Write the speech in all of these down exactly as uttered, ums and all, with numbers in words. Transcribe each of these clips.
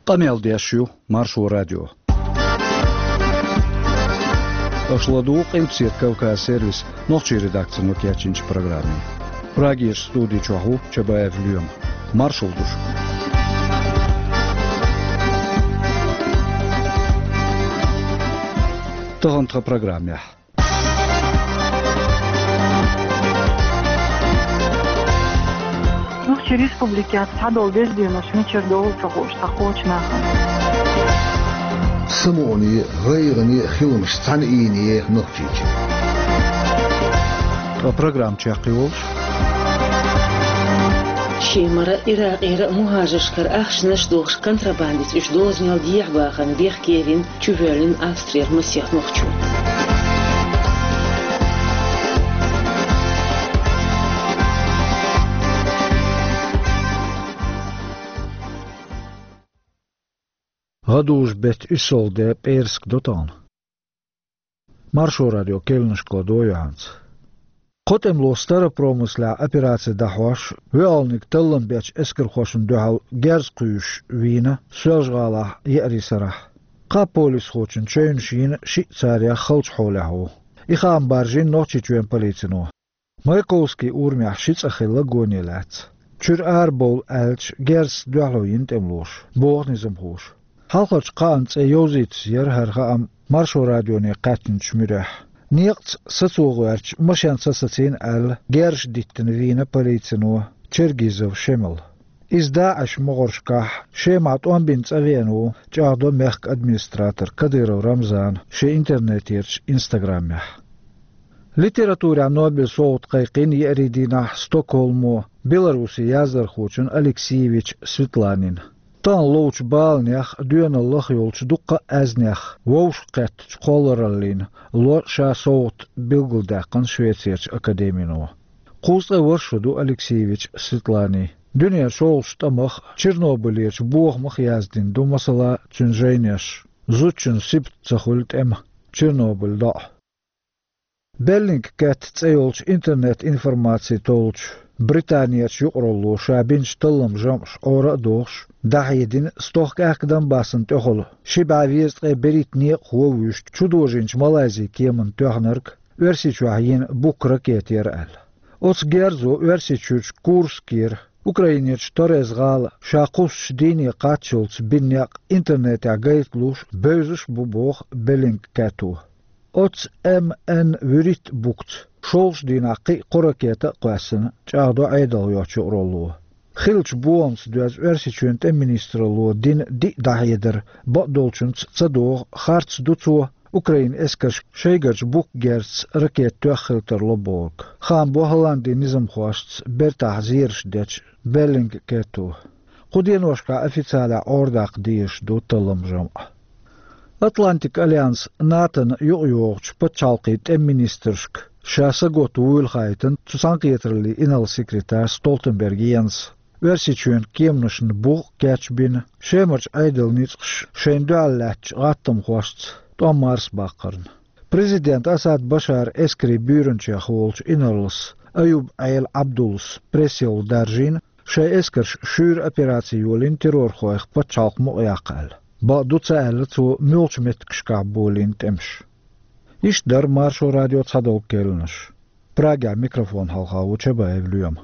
Къамел деш ю Маршо радио. Аша ладугӀу Къилбаседа Кавказ сервисан нохчийн редакцино кечйинчу программе. Прагерчу студи чохь ву Чабаев Лоьма. Маршалла ду шуьга. Тахана тхан программехь. Нохчийн республикехь цхьадолу деза денош мичара долу ца хууш цхьа кхочу нахана. Самукъане, гӀайгӀане хиламаш цхьаьна ийне Нохчийчоь. Ткъа программа чекхйолуш. Шемара, Иракъера мухӀажаршкара ахчанаш дохуш контрабандица уьш дозанел дехьабахарна бехк елийна чувоьллина Австрера масех нохчо. ГӀадужу-беттан уьссалгӀа де пӀераска до тахана. Маршо радио керланашка ладогӀа юьхьанца. Кхо тӀемало Старопромыслехь операци дӀахьош, воьалгӀаниг таллам бечу эскархошна дуьхьал герз кхуьйсуш вийна Соьлжа-ГӀалахь еарин сарахь. Кхаа полисхочун чевнаш йина шиъ царех халчу хьолехь ву. И хаам баржийна Нохчийчоьнан полицино. Маяковский урамехь ши цӀа хилла гоне лаьцна. Чуьра арабовла аьлча, герзаца дуьхьало йина тӀемалоша, боху низамхоша. Хьалхарчу кхаанна цӀе йовзуьйтуш яра хӀара хаам Маршо радионе кхаьчначу муьрехь. Некъаца сацо гӀоьртича, машен са сацийна аьлла, герзаш диттина вийна полицино Чергизов Шемал. Иза ДАИШ могӀаршкахь Шемахь тӀом бина цӀа веана ву, чӀагӀдо мехкан администратора Кадыров Рамзана шен интернетерчу Инстаграмехь. Литературехь Нобелан совгӀат кхайкхийна еарин дийнахь Стокгольмо Беларусин яздархочун Алексеевич Светланин. Тахана ловчу баланех а, доьналлах а йолчу дуккха а аьзнех вовшахкхеттачу кхоллараллина ло ша совгӀат билгалдаьккхина Швецерчу академино. Кхузткъе ворхӀ шо ду Алексеевич Светланин. Дуьненан шолгӀачу тӀамах а, Чернобылерчу бохамах а яздина ду, масала, цуьнан жайнаш «Зудчун сибат ца хуьлу тӀема», «Чернобыль доӀа». Bellingcat цӀе йолчу интернет-информаци толлучу Британерчу юкъаралло ша бинчу талламан жамӀаш Ӏора а дохуш, дӀахьедина стохка аьхка Донбассан тӀехула ши бӀе везткъе берхӀитта некъахо а вуьйш чудожийначу Малайзин кеманна тоьхнарг Оьрсийчохь йина букка ракета яра аьлла. Оцу герзо Оьрсийчуьрчу Курскера, Украинерчу Торез-гӀала ша кхуссучу дийне кхаччалц бина некъ интернетехь гайта луш бевзаш а бу, боху Bellingcat-о. Оцу М Н вуьрхӀитта буккаца шолгӀачу дийнахь кхин а кхо ракета а кхоьссина, чӀагӀдо Ӏедалх йоцчу юкъаралло. Хиллачу бохамца доьзна Оьрсийчоьнан тӀеман министралло дина диъ дӀахьедар бакъдолчуьнца ца догӀу, харц ду цо Украинан эскарша шайгарчу букка герзаца ракета тоьхна хила тарло бохург. Хаам бо ХӀолландин низамхошца бертахь зераш дечу Bellingcat-о. Кху деношкахь официалехь Ӏорадаккха дезаш ду талламан жамӀ. Атлантикан альянс НАТО-на юкъайогӀучу пачхьалкхийн тӀеман министрашка ша саготта вуйла хаийтина цу цхьаьнакхетараллин инарла-секретарь Столтенберг Йенс. Оьрсийчоьнан кеманашна бух а кечбина, Шемарчу Ӏедалан ницкъаша шайна дуьхьал лаьттачу гӀаттамхошца тӀом марсабаккхарна. Президент Асад Башаран эскарийн буьйранчех волчу инарлас Аюб Ӏела Ӏабдуллас пресс-йовха даржийна, шайн эскарша шуьйра операци йолийна террорхойх пачхьалкх мукъаяккха аьлла. Бакъду ца аьлла цо муьлхачу меттигашкахь болийна тӀемаш. Иштта дара Маршо радион цхьадолу керланаш. Прагехь микрофон хьалха ву Чабаев Лоьма.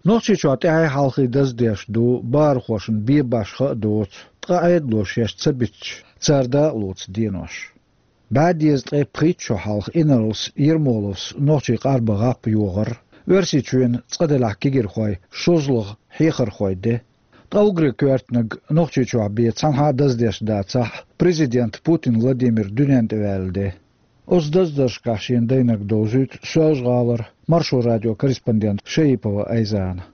Нохчийчохь тӀаьхьий хьалхий даздеш ду, бахархошна бен башха а доцу, ткъа Ӏедало шаьш ца биттича, цара дакъалоцу денош. БӀе дезткъе пхийтта шо хьалха инарлас Ермоловс нохчийн къарбан гӀап йохар Оьрсийчоьнан цкъа-делахь кегийрхойн шозлагӀа хьехархойн де. Ткъа уггаре коьртаниг Нохчийчохь бен цхьанхьа а даздеш дацахь, президент Путин Владимир дуьненна тӀе ваьлла де. Оцу даздаршкахь шена дайнарг довзуьйту Соьлжа-ГӀалара Маршо радион корреспондента Шаипова Айзана.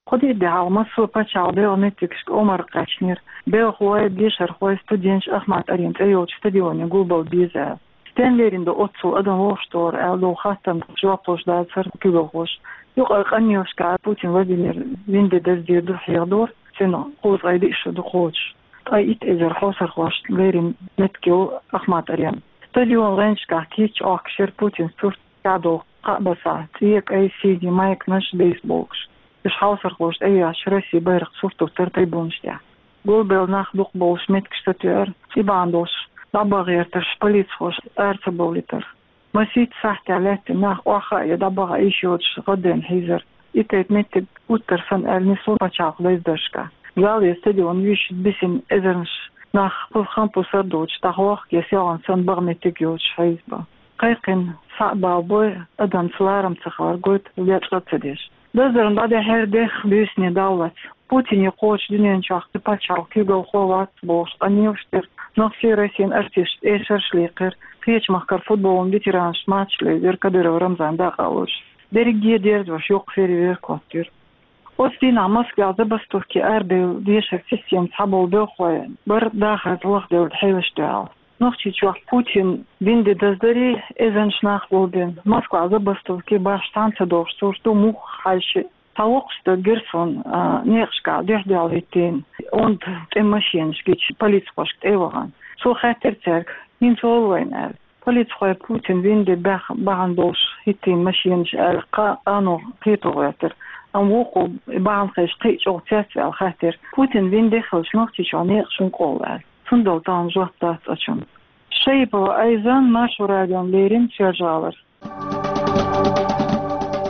Кхо-диъ де хьалха массо а пачхьалкхан белхан меттигашка омра кхаьчнера, белхалой, дешархой, студенташ Ахмат-Арена цӀе йолчу стадионе гулбала беза аьлла. Стенна лерина ду оццул адам вовшахтохар аьлла долу хаттарна жоп луш дацара куьйгалхоша. Юкъара къамелашкахь Путин Владимир вина де даздийр ду хьехадора, цуьнан кхузткъе диъ шо ду кхочуш. Ткъе итт эзар хьовсархошца лерина меттиг ю Ахмат-Арена. Стадионан гӀанташкахь кийча Ӏохкуш яра Путинан сурт, чӀагӀдолу кхаъ баса, цӀе, кӀай, синий майкаш, бейсболкаш. Уж хьовсархоша тӀеяьхьаш Россин байракх сурт тӀера тайбунаш тӀехь. Гулбелла нах дукха болуш меттигаш сатоьар, цӀий бахьана долуш дӀабаха гӀертарш, полицихоша ара ца бовлийтар. Масийтта сахьтехь лаьттина нах охьахаа а, дӀабаха а йиш йоцуш гӀаддайна хьийзар. И тайпа меттиг гуттар санна аьлла нисло пачхьалкхан дездаршкахь. Зал я стадион юьйшуш бисина эзарнаш нах, пус-хампус сардоцуш, дӀахьоха я селхана санна баха меттиг йоцуш хьийзабо. Кхайкхина схьа а балабой, адамца ларам ца хилар гойту, лечкъа а ца деш. Даздарна дӀадахьара дехха буьйсанийн давлац. Путине кхочу дуьнен чохь кхин пачхьалкх куьйгалхо вац бохуш къамелаш дира. Нохчийн, Россин артисташца эшарш лийкхира. Кхечу махкара футболан ветеранашца матч лайзира Кадыров Рамзан дакъа а луш. Дерриге дерзош йоккха фейерверк хӀоттийра. Оцу дийнахь Москвехь забастовке арабевлла дешаран системаца схьаболу белхалой бара дахарца лахделлачу хьелашна дуьхьал. Нохчийчохь Путинан вин де даздарий, эзарнаш нах гулбина. Москвахь забастовке башха цхьаьна ца догӀуш сурт ду, муха хьаьжча а. Цхьа воккхачу стага гира суна, а, некъашкахь дуьхь-дуьхьал хӀиттийна онда тӀе машенаш гича, полицихошка тӀе а вахана. Цо хаьттира цаьрга: «ХӀинца хӀун ло вайна?» — аьлла. Полицихой Путинан вин де баьхна бахьана долуш хӀиттийна машенаш аьлла, кхаа къано кхето гӀоьртира. Амма вукхо, и бахьана хезча, кхин а чӀогӀа цецваьлла хаьттира: «Путинан вин де хилча, Нохчийчохь некъаш хӀунда къовлу?» — аьлла. Цундела тахана жоп дац оцунна. Шаипова Айзан, Маршо радиона леррина, Соьлжа-ГӀалара.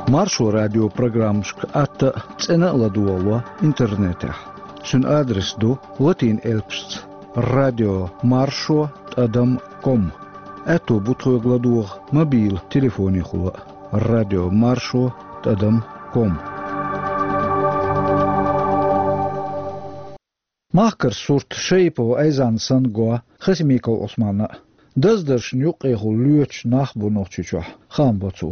Маршо радион программашка атта а, цӀена а ладогӀало интернетехь. Цуьнан адрес ду латин элпашца: радио маршо тӀадам ком. Аьтто бу тхоьга ладогӀа мобил телефонехула а: радио маршо тӀадам ком. Махкара сурт Шаипова Айзанна санна го Хасимиков Ӏусманна а. Даздаршна юккъехула лоьцуш нах бу Нохчийчохь, хаам бо цо.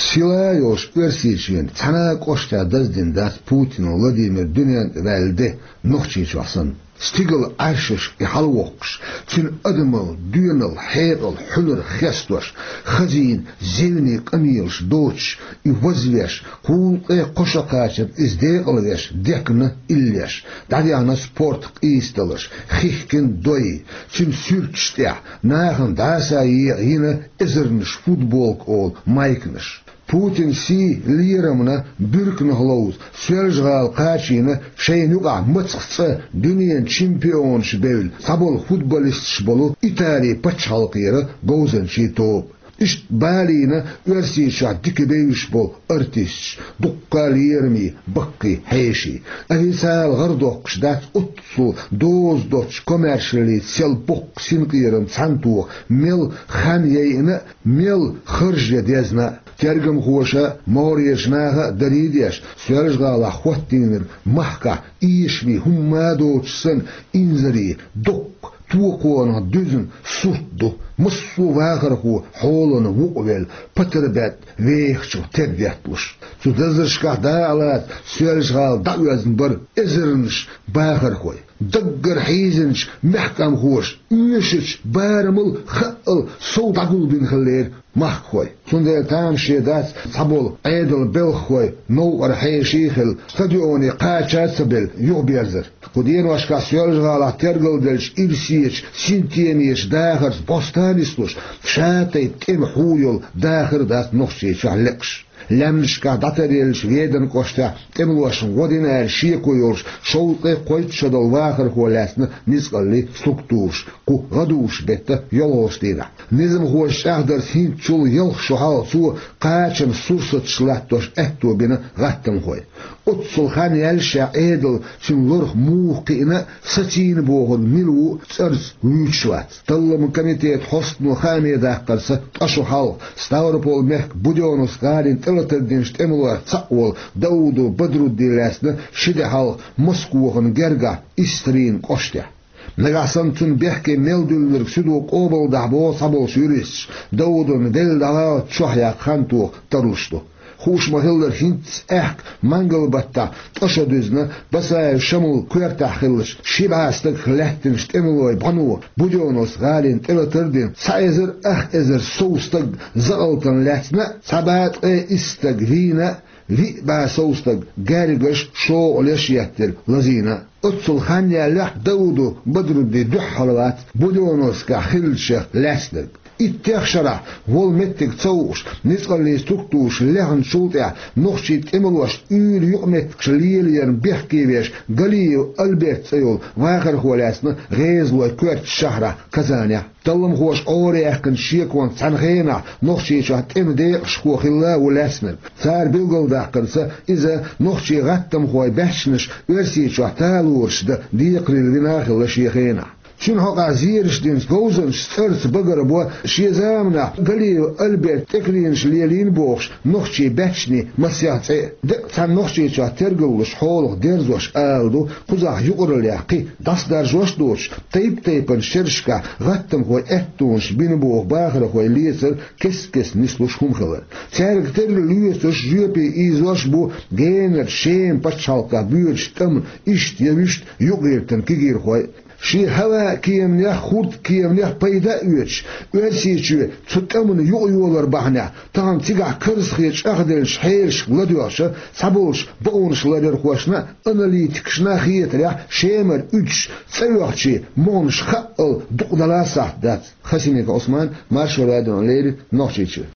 Сила йолуш Оьрсийчоьнан цхьана а кӀоштехь даздина дац Путин Владимир дуьнен тӀе ваьлла де, Нохчийчохь санна. Стигала Ӏаьршашка и хьалавоккхуш, цуьнан адамалла, доьналла, хьекъал, хьуьнар хестош, хазийна, зевне къамелаш доцуш, и вазвеш, кхулкъе кхо шо кхачарна иза декъалвеш, декна иллеш, дӀадехна спорт къийсадаларш, хихкина дой, цуьнан суьрташ тӀехь нахана дӀаса а екъа йина эзарнаш футболка олу майканаш. Путинан сий лерамна буьрканах ловза, Соьлжа-ГӀала кхачийна шайна юкъахь мацах цкъа дуьненан чемпионаш бевлла, цхьаболу футболисташ болу Италин пачхьалкхера говзанчийн тоба. Иштта балийна Оьрсийчохь дика бевзаш болу артисташ, дуккха а лерамийн, баккхий хьеший. Официалан гӀар доккхуш дац оццул доза доцчу комаьршаллица сел боккха синкъерам цхьаьнатоха мел хан яйина а, мел харж ян дезна а. Тергамхоша а, могӀарерчу наха а дарий деш, Соьлжа-ГӀалахь хӀоттийнарг махкахь эшаме хӀумма а доцуш санна, инзаре, доккха токхонах дуьзна сурт ду, массо а вахархо хьолана вукъавелла, патарбетта вехачух тера детталуш. Цу даздаршкахь дакъалаца Соьлжа-ГӀала дӀаоьзна бара эзарнаш бахархой. Даггара хьийзинчу мехкамхоша оьшучу барамал, хаъал сов дӀагулбина хиллера махкахой. Цундела тамаше дац цхьаболу Ӏедалан белхахой, новкъара хьеший а хилла, стадионе кхача а ца белла, юхаберзар. Кху деношкахь Соьлжа-ГӀалахь тергалделлачу ирсечу синтемечу дахарца бостан а нислуш, ша тайпа тӀеман хьу йолу дахар а дац Нохчийчохь лекъаш. Лаьмнашкахь дӀатаръеллачу Веданан кӀоштехь тӀемалошна гӀо дина аьлла шеко йолуш, шовзткъе кхойтта шо долу вахархо лаьцна ницкъаллийн структураш кху гӀадужу беттан йолхалгӀачу дийнахь. Низамхоша чӀагӀдарца, хӀинцачул ялх шо хьалха цо кхачанан сурсаташ латтош аьтто бина гӀаттамхой. Оццул хан яьлла, ша Ӏедал, цуьнан лорах муха кхиъна а, сацийна бохург мила ву а цӀарца вуьйцуш вац. Талламан комитетан хьостано хааме даккхарца, ткъа шо хьалха Ставрополь-мехкан Будённовск гӀалина тӀелатар динчу тӀемалойх цхьаъ волу Даудов Бадруддин лаьцна ши де хьалха Москохана гергахь Истрин кӀоштехь. Нагахь санна цунна бехке мел дуьллург суьдо къобалдахь боху цхьаболчу юристаша, Даудовна делла дӀагӀалта чохь яккха хан тоха тарлуш ду. Хууш ма-хиллара, хӀинцца аьхка мангал-баттахь ткъа шо дуьзна Басаев Шамул коьртехь хиллачу ши бӀе стагах лаьттинчу тӀемалойн бӀано Будённовск гӀалина тӀелатар дина цхьа эзар ах эзар сов стаг закъалтана лаьцна а, цхьа бӀе ткъе исс стаг вийна а, виъ бӀе сов стаг гергарш, шокъалеш а еттира, лазийна а. Оццул хан яьллехь а Даудов Бадрудди дуьххьал вац Будённовскехь хиллачех лаьцнарг. Иттех шарахь, волу меттиг ца хууш, ницкъаллин структураш лехначул тӀаьхьа нохчийн тӀемалошна уьйр юкъаметтигаш лелорна бехке веш Галиев Альберт цӀе йолу вахархо лаьцна гӀезалойн коьртачу шахьарахь Казанехь. Талламхоша Ӏораяьккхинчу шеконца цхьана хенахь Нохчийчохь тӀеман декъашхо хилла ву лаьцнарг. Цара билгалдаьккхинарца, иза нохчийн гӀаттамхойн баьччанаш Оьрсийчохь талораш дан декхарийла вина а хилла шен хенахь. Цуьнан хьокъехь зераш динчу говзанчаша цӀарца багара бо шен заманахь Галиев Альберта тӀекхиамаш лелийна бохуш нохчийн баьччанийн масех цӀе а. Деккъа цхьана Нохчийчохь тергаллуш хьолах дерзош ала ду, кхузахь юкъараллехь кхин дӀасадаржош а доцуш, тайп-тайпана шерашкахь гӀаттамхойн аьттонаш бина боху бахархой лецар кест-кеста нислуш хӀума хилар. Цаьрга терра лоьцуш, жоьпе ийзош а бу генара Шеман пачхьалкхехь боьдучу тӀамна иштта я вуьшта юкъагӀиртина кегийрхой а. Шен хӀаваан кеманех, хӀордан кеманех пайда а оьцуш, Оьрсийчоь цу тӀамна юкъайолар бахьанехь, тахана цигахь карзахе чӀагӀделлачу хьелашка ладоьгӀча, цхьаболчу бакъонаш ларъярхошна а, аналитикашна а хетарехь, Шемара уьдуш цӀа оьхучийн могӀанаш хаъал дукъадала сахьт дац. Хасимиков Ӏусман, Маршо радиона леррина, Нохчийчоь.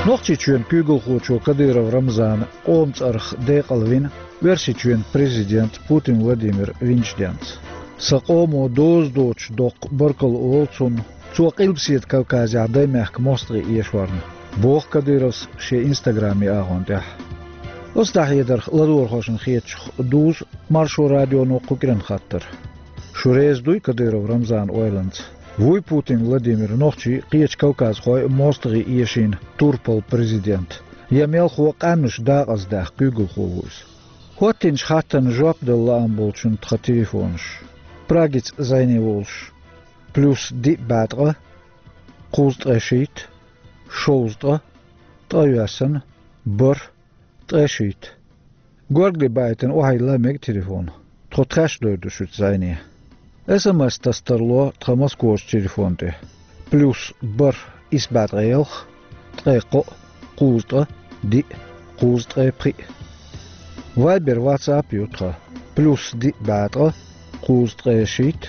Нохчийчоьнан куьйгалхочо Кадыров Рамзана къоман цӀарах декъала вина Оьрсийчоьнан президент Путин Владимир винчу денца. Сан къомо доза доцуш доккха баркалла олу цунна, цо Къилбаседа Кавказехь Даймехкан мостагӀий эшорна, боху Кадыровс шен инстаграм-агӀон тӀехь. Оцу дӀахьедарх ладогӀархошна хетачух дузу Маршо радионо кху кӀиран хаттар. Шу реза дуй Кадыров Рамзанан ойланца? Вуй Путин Владимир нохчий, кхечу кавказхой а мостагӀий эшийна турпал президент? Я мелхо къаьмнаш дакъаздаьхна куьйгалхо ву иза? ХӀоттийначу хаттарна жоп дала лаам болчунна тхан телефонаш. Прагица зӀене волуш: плюс диъ бӀе ткъа, кхузткъа ткъе шийтта, шовзткъа ткъа, ткъайоьсна, бархӀ, ткъе шийтта. Горгали байтина охьайилла мега телефон. Тхо тхаьш дойр ду шуьца зӀене. СМС тасса тарло тхан Москохчу телефон тӀе: плюс бархӀ, исс бӀе ткъе ялх, ткъе кхоъ, кхузткъа диъ, кхузткъе пхиъ. Вайбер, ватсап ю тхан: плюс диъ бӀе ткъа, кхузткъе шийтта,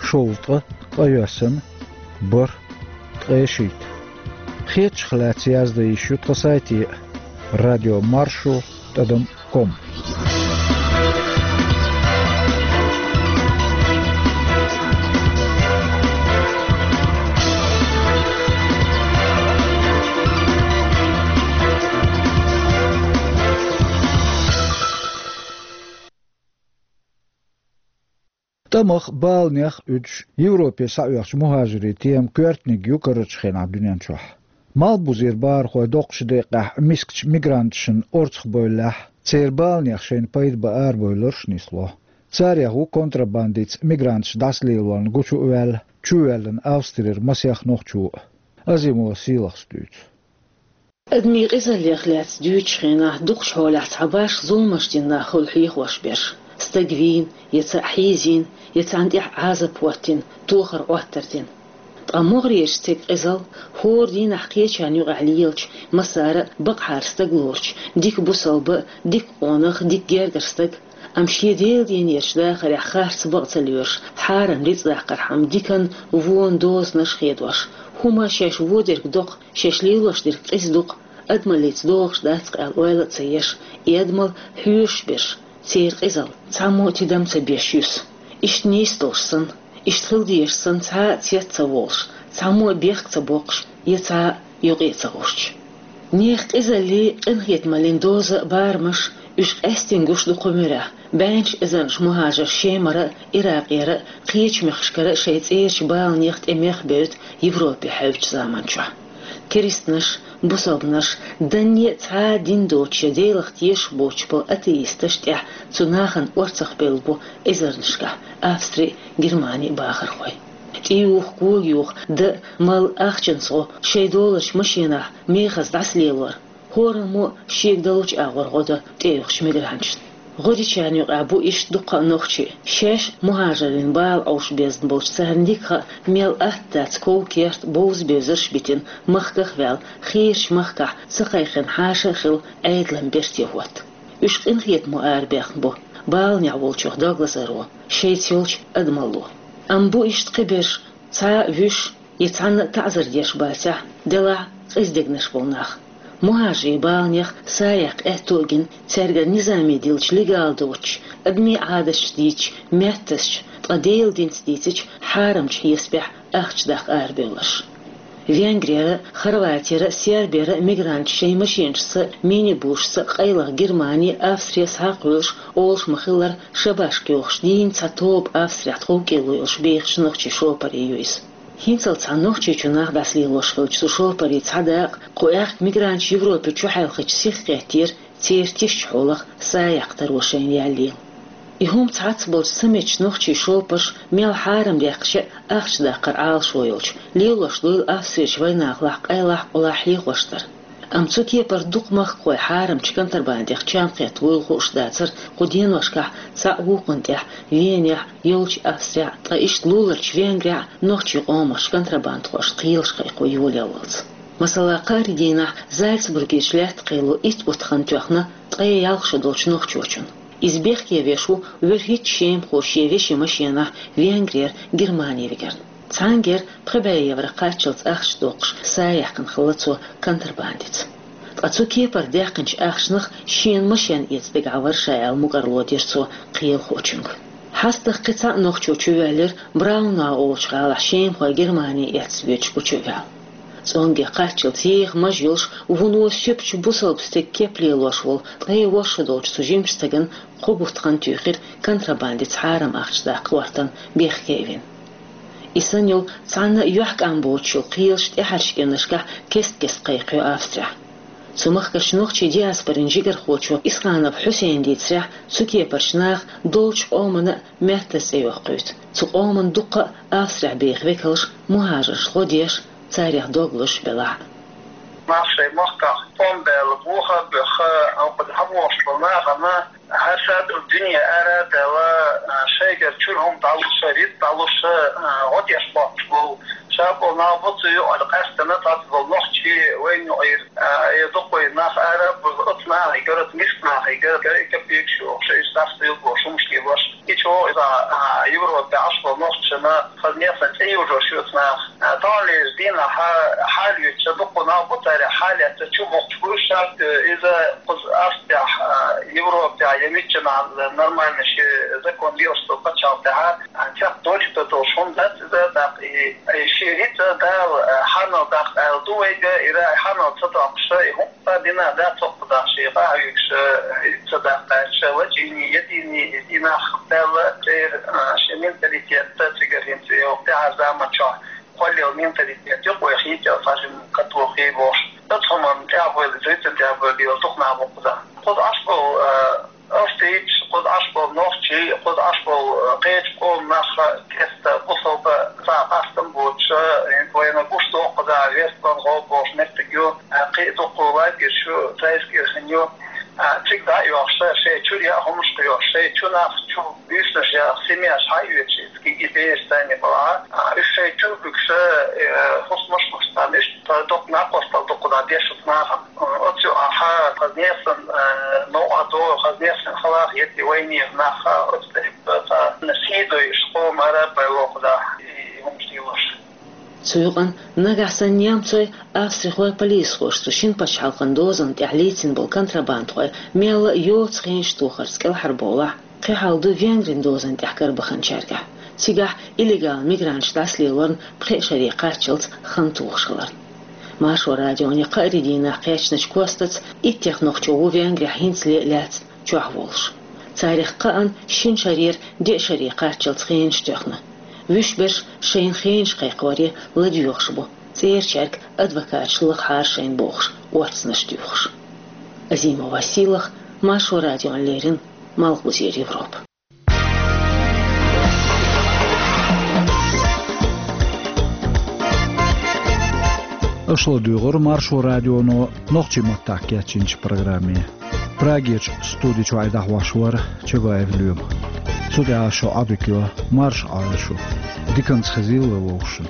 шовзткъа ткъайоьсна, бархӀ, ткъе шийтта. Хетачух лаьцна яздан йиш ю тхан сайте: радио маршо тӀадам ком. ТӀамах, баланех а уьдуш, Европе схьаоьхучу мухӀажирийн тема коьртаниг ю карарчу хенахь дуьнен чохь. Малхбузера бахархой доккхачу декъехь мискачу мигранташна орцахбевллехь, церан баланех шайна пайда бан арабевлларш а нисло. Царех ву контрабандица мигранташ дӀасалелорна гучу а ваьлла, чувоьллина Австрера масех нохчо а. Азимова Сийлахьас дуьйцу. Адамийн къизаллех лаьцна дуьйцучу хенахь, дукхачу хьолехь цхьабарш зуламаш дина нах хуьлу хьехош берш: стаг вийна, я цхьаъ хьийзийна, я царна тӀехь Ӏазап хӀоттийна, тохар-Ӏоттар дина. Ткъа могӀарерчу стеган къизалла хӀора дийнахь кхечарна юкъахь лелачу, массара а бакъахьара стаг лоручу, дика бусалба а, дика къонах а, дика гергара стаг а, амма шен Делан динерчу дахарехь харц бакъ ца лоьруш, хьарам рицкъ даккхархьама диканна вонна дозанаш а хедош, хӀума шаьш вон дерг доккха, шаьш лелош дерг къиза ду-кх, адамаллица догӀуш дац-кх аьлла ойла а ца еш, и адамалла хьоьжуш берш, церан къизалла цхьаммо а тидам ца беш юьсу. Иштта нийса долуш санна, иштта хила дезаш санна, цхьа а цец ца волуш, цхьаммо а бехк ца боккхуш, я цхьа а юкъе а ца гӀуьртуш. Нехан къизаллин, къинхетамаллин доза а, барамаш а, уьш къаьстина гуш ду кху муьрехь, бӀеннаш эзарнаш мухӀажар Шемара а, Иракъера а, кхечу мехкашкара а шайн цӀерачу баланех, тӀемех а бевдда Европе хьаьвзачу заман чохь. Керстанаш а, бусалбанаш а, данне а цхьа а дин доцуш я Делах тешаш боцуш болу атеисташ а тӀехь цу нахана орцахбевлла бу эзарнашкахь Австри а, Германи а бахархой. ТӀеюху, когаюху, дан а, мала а, ахчанца гӀо шайн долучу машенахь мехаза дӀасалелор, хӀораммо а шега далучу агӀор гӀо до тӀеюхучу мигранташна. ГӀо дечарна юкъахь бу иштта дуккха а нохчий, шаьш мухӀажарийн бала Ӏовша безна болчу царна дика хаьа, мел атта дац ков-керт, бовза-бевзарш а битина, махках а ваьлла, хийрачу махкахь ца кхайкхина хьаша а хилла, Ӏедалан берте хӀотта. Уьш къинхетамо арабаьхна бу баланехь волчух дог лазаро, шайца йолчу адамалло. Амма бу иштта кхиберш цхьа а вуьш я цхьанна а таӀзар деш бацахь, делахь а къиза дегнаш болу нах. Мухьажарийн баланех са яккха аьтто а гина, цаьргара низаме диллича легал доцучу, адамийн Ӏадаташ дийцича меттасчу, ткъа Делан динца дийцича хьарамчу хьесапехь ахча даккха арабевлларш. Венгрера, Хорватера, Сербера мигранташ шайн машенашца, минибусашца къайлаха Германи, Австри схьакхуьйлуш, олуш ма-хиллара, шабашка йохуш дийна цхьа тоба Австрехь тховкӀело йолуш бехачу нохчийн шопаре ю иза. ХӀинццалц цхьана Нохчийчу нах дӀасалелош хилча, цу шопарийн цхьа дакъа кху аьхка мигранташ Европе чу хьаьлхича сиха хеттера, церан тишачу хьолах са яккха таро шайна яьллера. И хӀума цхьацца болчу ца меттачу нохчийн шопарш мел хьарам даьккхича а ахча даккхар Ӏалашо йолчу, лелош дуйла Австрерчу вайнахалахь къайлахь-къулахь хьехош дара. Амма цу кепара дукха махкахой хьарамчу контрабандех чам кхетта вуйла хууш дацара кху деношкахь цхьаъ вукхунна тӀехь Венехь, йолчу Австрехь, ткъа иштта луларчу Венгрехь нохчийн къомах контрабандхошна кхелаш кхайкхо йолаяллалц. Масала, кхаарин дийнахь Зальцбургерчу лаьтта кхело итт бутт хан тоьхна ткъе ялх шо долчу нохчочунна. Иза бехке веш ву вуьрхӀитта шемахо шен вешин машенахь Венгрера Германи вигарна. Цхьаьнгара пхи бӀе евро кхаччалц ахча доккхуш са яьккхина хилла цо контрабандица. Ткъа цу кепара даьккхинчу ахчанах шена машен эца дагахь вара ша аьлла мукӀарло дира цо кхелахочуьнга. ХьастагӀа кхин цхьа а нохчо чувоьллира Браунау олучу гӀалахь шемахой Германи эцна воьдуш гучуваьлла. ЦӀонгге кхаччалц еха маж йолуш, вуно суьпачу бусалба стеган кеп лелош волу ткъе ворхӀ шо долчу цу жимачу стагана кхо бутт хан туьйхира контрабандица хьарам ахча даккха гӀортарна бехке а вина. И санна йолу цхьанна а юьхькӀам боцуш йолу кхелаш тӀаьхьарчу кӀирнашкахь кест-кеста кхайкхайо Австрехь. Цу махкахь нохчийн диаспорин жигархочо Исханов Хьусейна дийцарехь, цу кепарчу наха долчу къомана а меттаза цӀе йоккхуьйту. Цу къоман дуккха а Австрехь беха векалш мухӀажарш гӀо деш, царех дог луш белахь а. Нах шайн махкахь тӀом баьлла, бохам баьхна, хӀокху дӀавогӀуш болу нахана хӀара садар дуьне ара а даьлла, шайгара чуьра хӀума дӀалуш, рицкъ дӀалуш, гӀо деш боцуш болу. Ша болу нах бу цу юкъара къаьстина, цхьацца болу нохчий вайна юкъара, я дукха вай нах ара а бузу, оцу нахе гара, оцу миска нахе гара, гара и капекаш йохуш, иза дӀасадуьйла бохуш, хӀумаш лелош. И чӀогӀа иза, а, Европе Ӏаш болу нохчашна хаза нехан цӀе йожош ю оцу наха. А, таханлерчу дийнахь хьалаоьцуш дуккха нах бу, царех хьалаэцна чу бухкуш бу уьш. Ша, э, иза кхуза Австрехь, а, Европехь я миччанхьа нормально шен закон лелаш долу пачхьалкх тӀехь, а, цхьа долчу тӀе долуш хӀума дац иза, тӀаккха и, и шен рицкъ Дала, а, хьанал даккха аьлла ду вайга, и ра-, хьанал ца доккхуш, и хӀума Ткъа дина дац хӀокху даха шен къахьоьгуш, э, ца даккхаьчча, лачийний, ядийний, и динах даьлла, церан, э, шен менталитет, цигара хӀинца йолу тӀаьхьара заман чохь кхоллал менталитет ю, кхойх йитӀел сажин катохий бохуш. Оцу хӀуманна тӀаьхьабевлла, зуьйцан тӀаьхьабевлла, дукха нах бу кхузахь. Кхуза Ӏаш болу, э, Оьрсийчу, кхуза Ӏаш болу нохчий, кхуза Ӏаш болу, э, кхечу къоман нах, кеста бусалба цхьа къастам боцуш, э, вайна гуш доккхуза, Вестбанхо бохуш меттиг ю, э, кхин а дуккха лагерш ю, Трайскирхен ю, э, цига дӀа а йоьхуш, шайн чуьра яа хӀумнаш кхуьош, шайн чу нах чу буьйсанаш яа семьяш хьаоьцуш, иза кегий бераш санна балахь, э, уьш шайн чу буьгуш, э, хӀусамаш а луш царна, иштта доккха накъосталла дуккха дӀа деш оцу нахана. Оцу юкъахь хаза нехан, э, новкъа догӀу, хаза нехан халахь етта вайнехан нах, оцу тӀе, э, сий дойуш къоман ара а бай вокху дахь, и хӀумаш лелош. Цу юкъана нагахь санна немцой, австрихой полисхоша цу шина пачхьалкхан дозанна тӀехь лецна болу контрабандхой мел а йоцу хенаш тохарца кӀелхьарбовлахь, кхин хьал ду Венгрин дозанна тӀехь карабаханчаьргахь. Цигахь иллегал мигранташ дӀасалелорна пхеа шаре кхаччалц хан тухуш хиларна. Маршо радионе кхаарин дийнахь кхаьчначу костаца иттех нохчо ву Венгрехь хӀинцале а лаьцна чохь волуш. Царах кхаанна шина шарера деа шаре кхаччалц хенаш тоьхна. Вуьш берш шайна хенаш кхайкхоре ладоьгӀуш бу, цӀерачаьрга адвокаташ лахахьара шайна бохуш, орцанаш туьйхуш. Азима Василах, Маршо радиона леррина, Малхбузера Европа. Аша ладуьйгӀира Маршо радионо нохчийн маттахь кечйинчу программе. Прагерчу студи чуьра дӀахьош вара Чабаев Лоьма. Цу тӀехь шун Ӏадика йо, марша Ӏойла шу. Диканца хезийла вовшашна.